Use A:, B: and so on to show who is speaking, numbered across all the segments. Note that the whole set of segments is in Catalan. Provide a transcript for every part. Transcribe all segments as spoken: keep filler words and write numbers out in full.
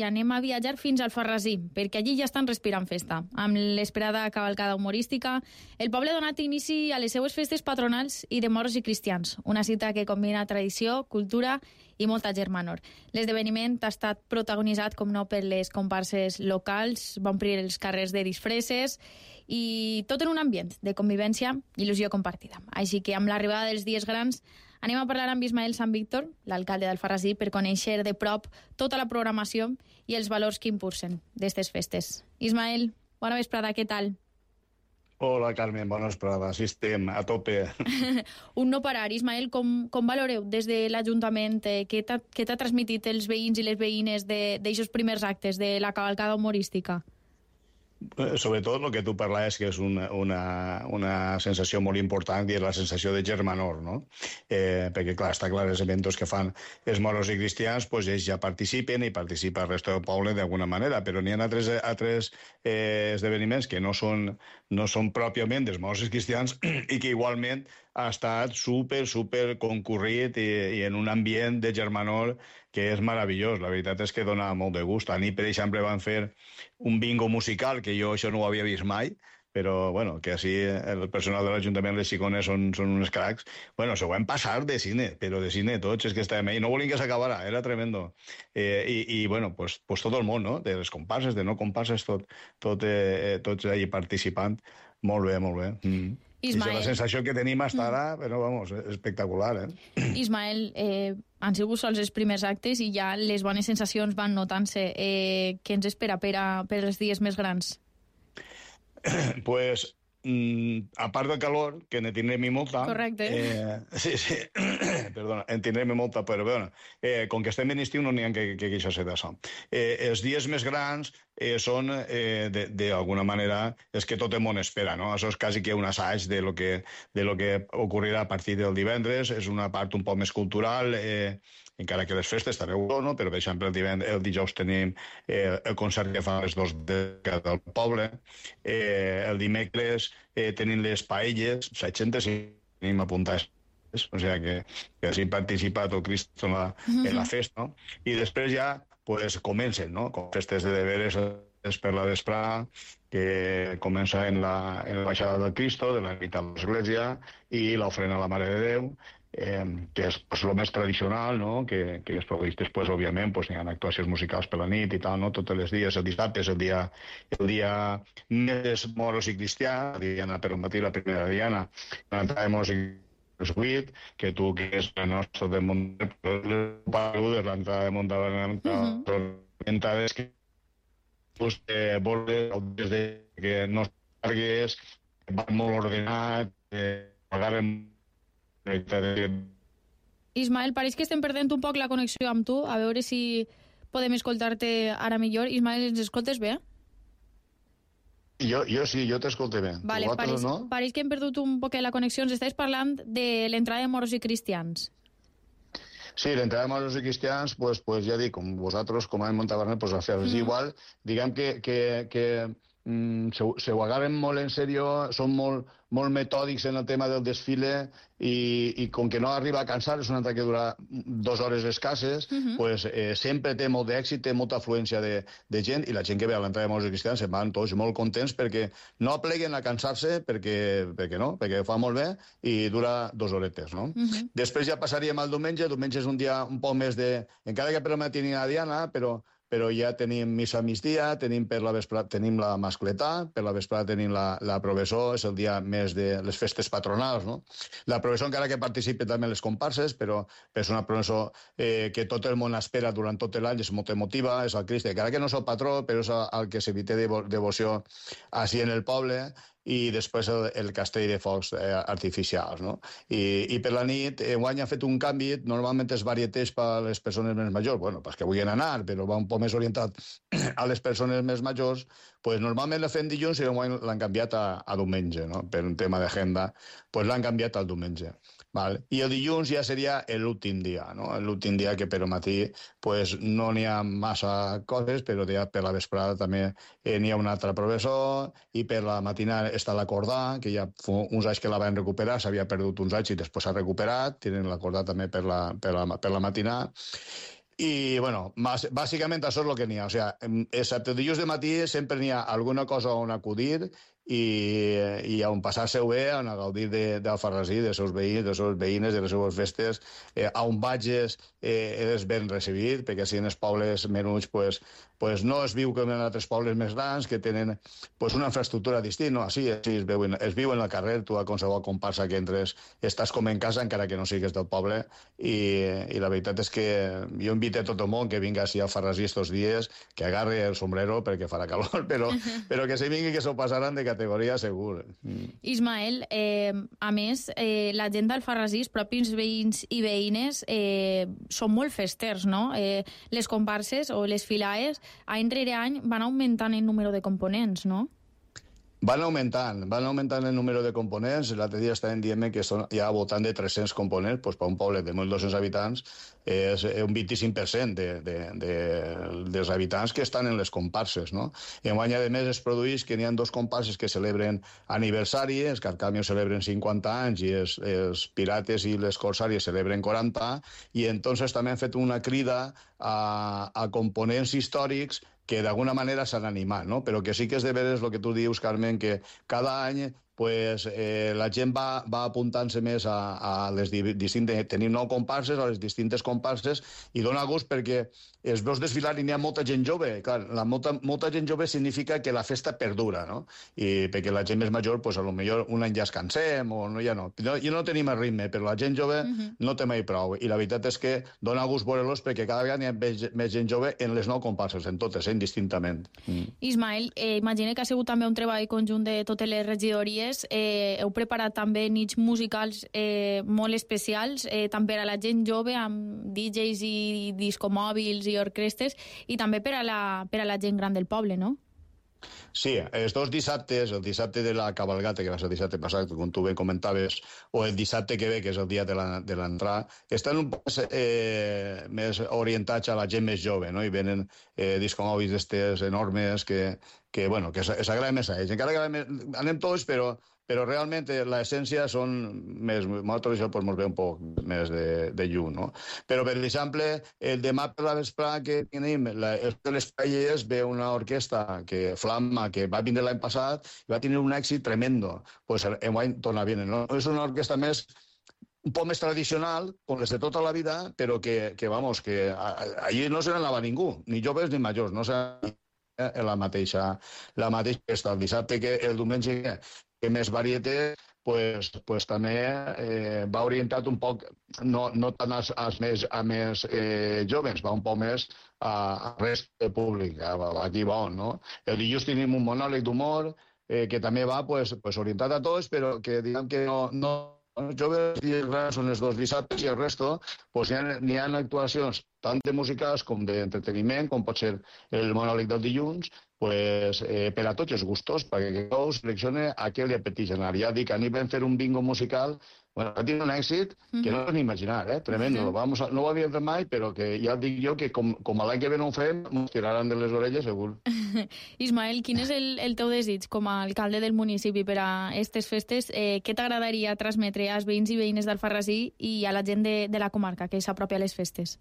A: i anem a viatjar fins al Alfarrasí, perquè allí ja estan respirant festa. Amb l'esperada cavalcada humorística, el poble ha donat inici a les seues festes patronals i de moros i cristians, una cita que combina tradició, cultura i molta germanor. L'esdeveniment ha estat protagonitzat, com no, per les comparses locals, va omplir els carrers de disfresses i tot en un ambient de convivència i il·lusió compartida. Així que amb l'arribada dels dies grans anem a parlar amb Ismael Sant Víctor, l'alcalde d'Alfarrasí, per conèixer de prop tota la programació i els valors que impulsen d'aquestes festes. Ismael, bona vesprada, què tal?
B: Hola, Carmen, bona vesprada. Sí, estem a tope.
A: Un no parar. Ismael, com, com valoreu des de l'Ajuntament? Eh, què t'ha transmitit els veïns i les veïnes d'aixòs primers actes de la cavalcada humorística?
B: Sobretot el que tu parlaves, que és una, una, una sensació molt important, i és la sensació de germanor, no? Eh, perquè, clar, està clar, els eventos que fan els moros i cristians, pues ells ja participen i participa el resto del poble d'alguna manera, però n'hi ha altres, altres eh, esdeveniments que no són, no són pròpiament dels moros i cristians i que igualment ha estat super, super concurrit i, i en un ambient de germanor que és meravellós. La veritat és que dona molt de gust. A nit, per exemple, van fer un bingo musical, que jo això no ho havia vist mai, però, bueno, que així el personal de l'Ajuntament de Xicones són, són uns cracs. Bueno, s'ho van passar de cine, però de cine tots, és que estàvem ahí. No volien que s'acabara, era tremendo. Eh, i, I, bueno, pues, pues tot el món, no? De les comparses, de no comparses, tot, tot, eh, tots allà participant. Molt bé, molt bé. Mm.
A: Ismael.
B: I la sensació que tenim hasta ara, però, vamos, espectacular, eh?
A: Ismael, eh, han sigut sols els primers actes i ja les bones sensacions van notant-se. Eh, què ens espera per, a, per els dies més grans?
B: Pues, mm, a part del calor, que ne tindrem i molta...
A: Correcte.
B: Eh, sí, sí, perdona, en tindrem i molta, però bé, eh, com que estem en estiu no n'hi ha que, que queixar-se d'això. Eh, els dies més grans eh, són, eh, d'alguna manera, és que tot el món espera, no? Això és quasi que un assaig de lo que, de lo que ocorrirà a partir del divendres, és una part un poc més cultural, eh, encara que les festes estareu, no? Però, per exemple, el, divendres, el dijous tenim eh, el concert que fan les dos de del poble, eh, el dimecres eh, tenim les paelles, setanta si tenim apuntades, o sigui que, que així participa tot Cristo en la, en la festa, no? I després ja pues, comencen, no? Com festes de deberes per la vesprada, que comença en la, en la baixada del Cristo, de la nit a l'església, i l'ofrena a la Mare de Déu, eh, que és pues, el més tradicional, no? que, que després, després òbviament, pues, hi ha actuacions musicals per la nit i tal, no? Tots els dies, el dissabte és el dia, el dia més moros i cristià, la diana per al matí, la primera diana, l'entrada de moros i vuit, que tu, que és la nostra de Montavant, l'entrada de Montavant, orientades que pues, eh, vols des de que no cargues, que va molt ordenat, eh, pagarem...
A: Ismael, pareix que estem perdent un poc la connexió amb tu, a veure si podem escoltar-te ara millor. Ismael, ens escoltes bé?
B: Jo, jo sí, jo t'escolto bé.
A: Vale, pareix,
B: no?
A: pareix que hem perdut un poc la connexió. Ens estàs parlant de l'entrada de moros i cristians.
B: Sí, l'entrada de moros i cristians, pues, pues ja dic, com vosaltres, com a Montavernet, pues a fer-los mm. igual. Diguem que, que, que mm, se, se ho agarren molt en sèrio, són molt, molt metòdics en el tema del desfile i, i com que no arriba a cansar, és un altre que dura dues hores escasses, mm-hmm. pues, eh, sempre té molt d'èxit, té molta afluència de, de gent, i la gent que ve a l'entrada de moros i cristians se'n van tots molt contents perquè no apleguen a cansar-se, perquè, perquè no, perquè fa molt bé i dura dues horetes, no? Mm-hmm. Després ja passaríem al diumenge. El diumenge és un dia un poc més de... Encara que per la matinina diana, però però ja tenim missa a migdia, tenim per la vesprada, tenim la mascletà, per la vesprada tenim la, la Provessó, és el dia més de les festes patronals, no? La Provessó, encara que participi també en les comparses, però és una Provessó eh, que tot el món espera durant tot l'any, és molt emotiva, és el Crist, encara que no és el patró, però és el que se li té devoció així en el poble, i després el, el castell de focs eh, artificials, no? I, i per la nit, eh, guany ha fet un canvi, normalment és varietés per a les persones més majors, bueno, pas que vulguin anar, però va un poc més orientat a les persones més majors, pues normalment la fem dilluns i guany l'han canviat a, a diumenge, no? Per un tema d'agenda, pues l'han canviat al diumenge. Val? I el dilluns ja seria l'últim dia, no? L'últim dia que per al matí pues, no n'hi ha massa coses, però ja per la vesprada també eh, n'hi ha una altra professor, i per la matinada està l'acordà, que ja fa uns anys que la van recuperar, s'havia perdut uns anys i després s'ha recuperat, tenen l'acordà també per la, per la, per la matinada. I, bueno, bàsicament això és el que n'hi ha. O sigui, excepte dilluns de matí sempre n'hi ha alguna cosa on acudir i, i on passar-se-ho bé, on a gaudir d'Alfarrasí, de, dels seus veïns, de les seves veïnes, de les seves festes, eh, on vagis eh, eres ben recibit, perquè si en els pobles menuts pues, pues no es viu com en altres pobles més grans que tenen pues, una infraestructura distinta. No? Així, així es, veu, es viu en el carrer, tu a qualsevol comparsa que entres estàs com en casa encara que no sigues del poble i, i la veritat és que jo invito a tot el món que vinga així a Alfarrasí estos dies, que agarre el sombrero perquè farà calor, però, però que se vingui que s'ho passaran de categoria segur. Mm.
A: Ismael, eh, a més, eh, la gent d'Alfarrasí, els propis veïns i veïnes, eh, són molt festers, no? Eh, les comparses o les filaes, any rere any, van augmentant el número de components, no?
B: Van augmentant, van augmentant el número de components. L'altre dia estaven dient que són ja al voltant de tres-cents components, doncs per un poble de mil dos-cents habitants és un vint-i-cinc per cent de, de, de, dels habitants que estan en les comparses, no? I enguany, a més, es produeix que n'hi ha dos comparses que celebren aniversari, els Carcamios celebren cinquanta anys i els, els Pirates i les Corsàries celebren quaranta, i entonces també han fet una crida a, a components històrics que d'alguna manera s'han animat, no? Però que sí que és de veres el que tu dius, Carmen, que cada any pues, eh, la gent va, va apuntant-se més a, a les distintes... Tenim nou comparses, a les distintes comparses, i dona gust perquè es veus desfilar i n'hi ha molta gent jove. Clar, la molta, molta gent jove significa que la festa perdura, no? I perquè la gent més major, pues, a lo millor un any ja es cansem, o no, ja no. no I no tenim el ritme, però la gent jove uh-huh. no té mai prou. I la veritat és que dona gust veure-los perquè cada vegada n'hi ha més, més gent jove en les nou comparses, en totes, eh, indistintament. Mm.
A: Ismael, eh, imagina que ha sigut també un treball conjunt de totes les regidories. Eh, heu preparat també nits musicals eh, molt especials, eh, tant per a la gent jove, amb D Js i discomòbils i orquestres, i també per a la, per a la gent gran del poble, no?
B: Sí, els dos dissabtes, el dissabte de la cabalgata, que va ser el dissabte passat, com tu bé comentaves, o el dissabte que ve, que és el dia de l'entrada, estan un poc eh, més orientats a la gent més jove, no? I venen eh, discomòbils d'estes enormes que, que, bueno, que s'agrada més a ells. Encara que més, anem tots, però però realment l'essència són més... Nosaltres això pues, ens ve un poc més de, de llum, no? Però, per exemple, el demà per la vesprada que tenim, la, el de les Pallers, ve una orquestra, que Flamma, que va vindre l'any passat, i va tenir un èxit tremendo. Pues enguany torna a venir, no? És una orquestra més un poc més tradicional, com les de tota la vida, però que, que vamos, que allí no se n'anava ningú, ni joves ni majors, no se n'anava la mateixa, la mateixa festa. El dissabte, que el diumenge que més varieté, pues, pues també eh, va orientat un poc, no, no tant als, als més, a més eh, joves, va un poc més a, a rest públic, a, aquí va on, no? El dilluns tenim un monòleg d'humor eh, que també va pues, pues, orientat a tots, però que diguem que no... no els joves i els grans són els dos dissabtes i el resto pues, n'hi ha, n'hi ha actuacions tant de musicals com d'entreteniment, com pot ser el monòleg del dilluns, pues, eh, per a tots els gustos, perquè cadascú selecciona a què li apeteix anar. Ja dic, ahir vam fer un bingo musical, bueno, ha tingut un èxit que no pots ni imaginar, eh? Tremendo. Uh-huh. Vamos a, no ho havíem fet mai, però que ja dic jo que com, com a l'any que ve no ho fem, ens tiraran de les orelles, segur.
A: Ismael, quin és el, el teu desig com a alcalde del municipi per a aquestes festes? Eh, què t'agradaria transmetre als veïns i veïnes d'Alfarrasí i a la gent de, de la comarca que s'apropia a les festes?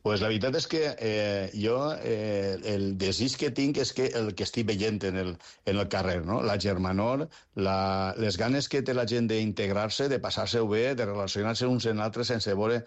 B: Pues la veritat és que eh, jo eh, el desig que tinc és que el que estic veient en el, en el carrer, no? La germanor, la, les ganes que té la gent d'integrar-se, de passar-se-ho bé, de relacionar-se uns en altres sense veure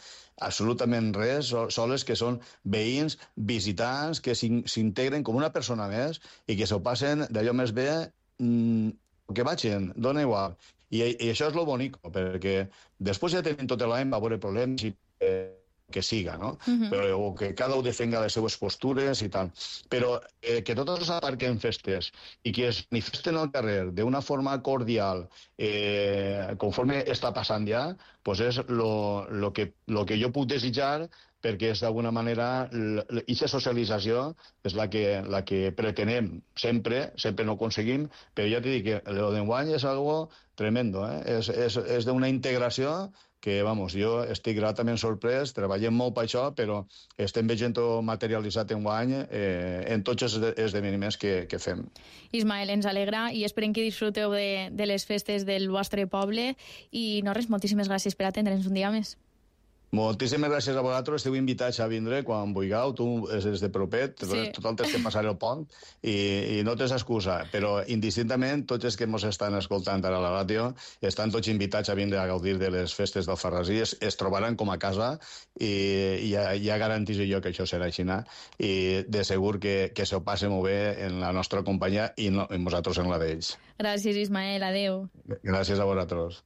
B: absolutament res, soles que són veïns, visitants, que s'integren com una persona més i que s'ho passen d'allò més bé mmm, que vagin, dona igual. I, i això és lo bonic, perquè després ja tenim tot l'any, va haver problemes i... Eh, que siga, no? Uh-huh. Però, o que cada un defenga les seves postures i tal. Però eh, que totes s'aparquen festes i que es manifesten al carrer d'una forma cordial, eh, conforme està passant ja, pues és lo, lo, que, lo que jo puc desitjar, perquè és d'alguna manera aquesta socialització és la que, la que pretenem sempre, sempre no aconseguim, però ja t'he dit que el d'enguany és algo tremendo, eh? És, és, és d'una integració que, vamos, jo estic gratament sorprès, treballem molt per això, però estem veient-ho materialitzat en guany eh, en tots els esdeveniments que, que fem.
A: Ismael, ens alegra i esperem que disfruteu de, de les festes del vostre poble i, no res, moltíssimes gràcies per atendre'ns un dia més.
B: Moltíssimes gràcies a vosaltres, esteu invitats a vindre quan vulgueu, tu és de propet, sí. Total tens que passar el pont i, i no tens excusa, però indistintament tots els que ens estan escoltant ara a la ràdio estan tots invitats a vindre a gaudir de les festes d'Alfarrasí, es, es trobaran com a casa i, i ja, ja garantís jo que això serà així i de segur que, que s'ho passe molt bé en la nostra companyia i, no, i nosaltres en la d'ells.
A: Gràcies, Ismael, adeu.
B: Gràcies a vosaltres.